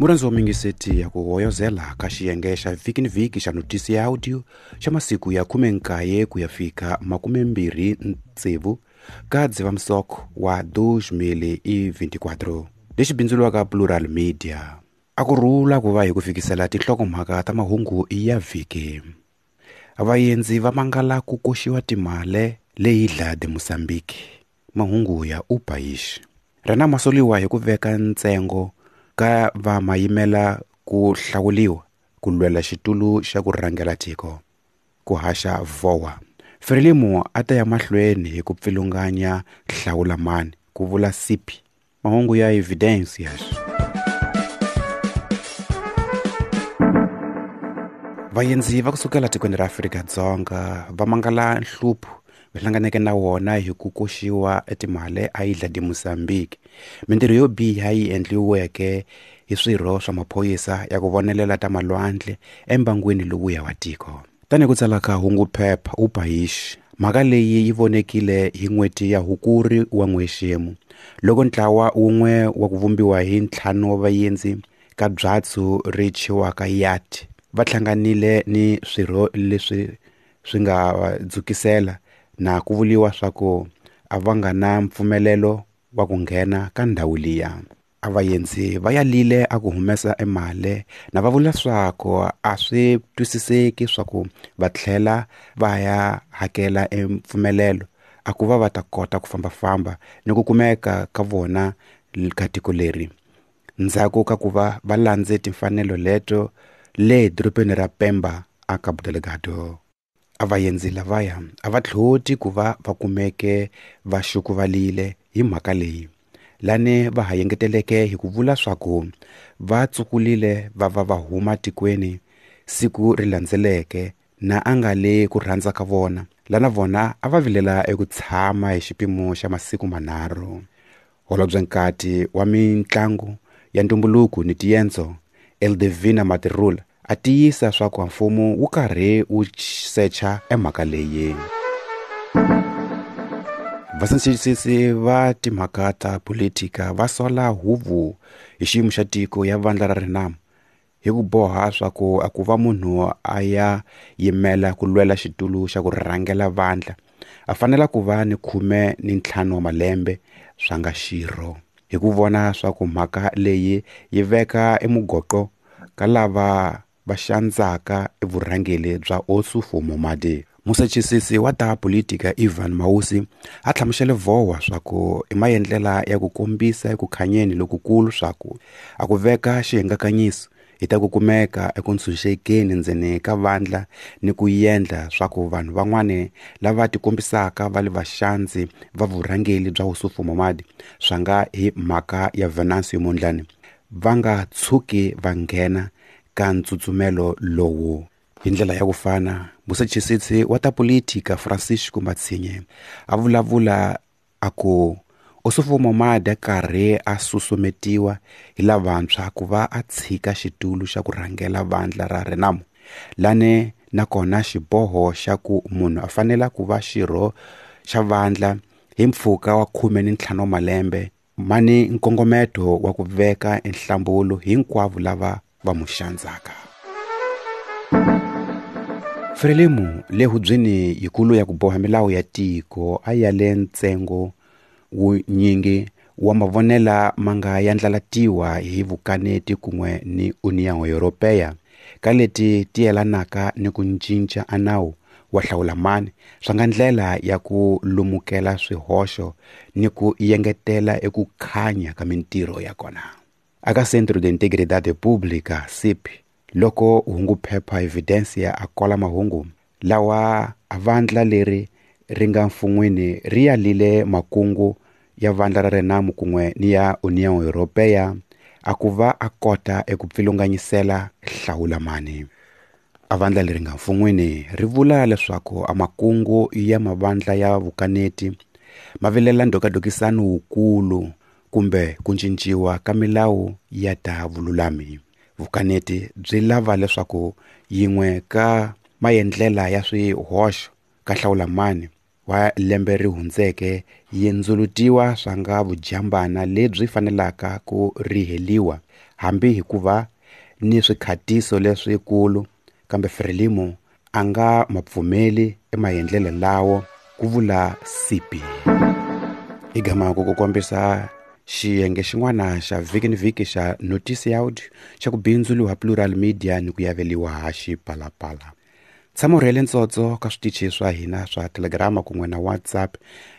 Murhandzi wa mingiseti ya ku hoyozela ka xiyenge xa vhiki ni vhiki xa notisi ya audio xa masiku ya 19 ku ya fika 26 ka Dzivamisoko wa 2024 lexi bindzuriwaka Plural Media. A ku rhula ku va hi ku fikisela tinhlokomhaka ta mahungu ya vhiki. Vaendzi va mangala ku koxiwa timale leyi Ilha de Moçambique. Mahungu ya Upaish. Rena masoliwa hi ku veka ntsengo ka va mayimela ku hlawuliwa ku lwela xitulu xa ku rhangela tiko. Ku haxa vowa. Frelimo a ta ya mahlweni hi ku pfilunganya hlawulamani ku vula Sipi. Mahungu ya Evidencias. Vaendzi va kusukela tikweni ra Afrika-Dzonga va mangala nhlupho va hlanganeke na wona hi ku koxiwa etimale a Ilha de Moçambique. Mintirho yo biha yi endliweke hi swirho swa maphorisa ya ku vonelela ta malwandle embangwini lowuya wa tiko. Tanihi ku tsala ka hungu phepha Upaish, mhaka leyi yi vonekile hi n'hweti ya Hukuri wa n'wexemu loko ntlawa wun'we wa ku vumbiwa hi ntlhanu wa vaendzi ka byatso ri thyiwaka yacht va hlanganile ni swirho leswi swi nga va dzukisela na ku vuliwa swa ku a va nga na mpfumelelo wa ku nghena ka ndhawu liya. A vaendzi va yalile a ku humesa emali na va vula swaku a swi twisiseki swa ku va tlhela va ya hakela empfumelelo a ku va va ta kota ku fambafamba ni ku kumeka ka vona ka tiko leri. Ndzhaku ka ku va va landze timfanelo leto le dorobeni ra Pemba a Cabo Delgado. A vaendzi lavaya a va tlhoti ku va va kumeke va xukuvalile hi mhaka leyi. Lani va ha yengeteleke hi ku vula swaku va tsukulile va va va huma tikweni siku ri landzeleke na a nga le ku rhandza ka vona. Lana vona a va vilela eku tshama hi xipimo xa masiku manharhu. Holobye nkati wa mitlangu ya ntumbuluko ni tiendzo Eldevina Matirula a tiyisa swaku mfumo wu karhi wu secha emhaka leyi. Vasentshisisi va timhaka ta politika va sola huvo hi xiyimo xa tiko ya vandla ra Renamo hi ku boha swaku a ku va munhu a ya yimela ku lwela xitulu xa ku rhangela vandla a fanela ku va ni 15 wa malembe swa nga xirho. Hi ku vona swaku mhaka leyi yi veka emugoqo ka lava va xandzaka evurhangeri bya Ossufo Momade. Musachisisi wa ta politika Ivan Mausi a hlamusele vowa swaku i maendlela ya ku kombisa eku khanyeni lokukulu swaku a ku veka xihingakanyiso hi ta ku kumeka eku ntshunxekeni ndzeni ka vandla ni ku endla swaku vanhu van'wani lava tikombisaka va le vaxandzi va vurhangeri bya Ossufo Momade swa nga hi mhaka ya Venancio Mondlane va nga tshuki va nghena ka ntsutsumelo lowu. Hi ndlela ya ku fana, musachisisi wa ta politika Francisco Matsinhe a vulavula a ku Ossufo Momade karhi a susumetiwa hi lavantshwa ku va a tshika xitulu xa ku rhangela vandla ra Renamo. Lani nakona xiboho xa ku munhu a fanela ku va xirho xa vandla hi mpfhuka wa 15 wa malembe mani nkongometo wa ku veka enhlambulo hinkwavo lava va mu xandzaka. Frelimo le hubyeni yikulu ya ku boha milawu ya tiko a ya le ntsengo wunyingi wa mavonela ma nga yandlalatiwa hi vukaneti kun'we ni União Europeia ka leti ti yelanaka ni ku cinca a nawu wa hlawulamani swa nga ndlela ya ku lumukela swihoxo ni ku yengetela eku khanya ka mintirho ya kona. Aka Centro de Integridade Pública, CIP, loko hungu phepha Evidencia a kola mahungu lawa a vandla leri ri nga mfun'wini ri yalile makungu ya vandla ra Renamo kun'we ni ya União Europeia a ku va a kota eku pfilunganyisela hlawulamani. A vandla leri nga mfun'wini ri vula leswaku a makungu ya mavandla ya vukaneti ma vilela ndhokadokisano wukulu kumbe ku cinciwa ka milawu ya ta vululami. Vukaneti byi lava leswaku yin'we ka maendlela ya swihoxo ka hlawulamani wa lembe ri hundzeke yi ndzulutiwa swa nga vujambana lebyi fanelaka ku riheliwa hambi hikuva ni swikhatiso leswikulu, kambe Frelimo a nga mapfumeli emaendlelo lawo, ku vula Sipi. I gama ku kombisa xiyenge xin'wana xa vhiki ni vhiki xa Notisi ya Audio xa ku bindzuriwa Plural Media ni ku yaveliwa ha Xipalapala. Tshama u rhele ntsotso ka switichi swa hina swa Telegram kun'we na WhatsApp,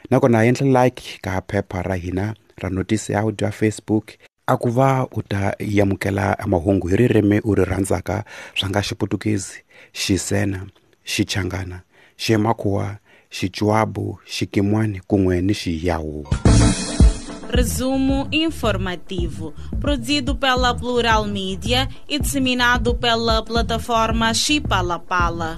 nakona endla like ka phepha ra hina ra Notisi ya Audio ya Facebook, a ku va u ta yamukela mahungu hi ririmi u ri rhandzaka swa nga Xiputukezi, Xisena, Xichangana, Ximakhuwa, Xichuabu, Xikimwani kun'we ni Xiyawu. Resumo informativo, produzido pela Plural Mídia e disseminado pela plataforma Xipalapala.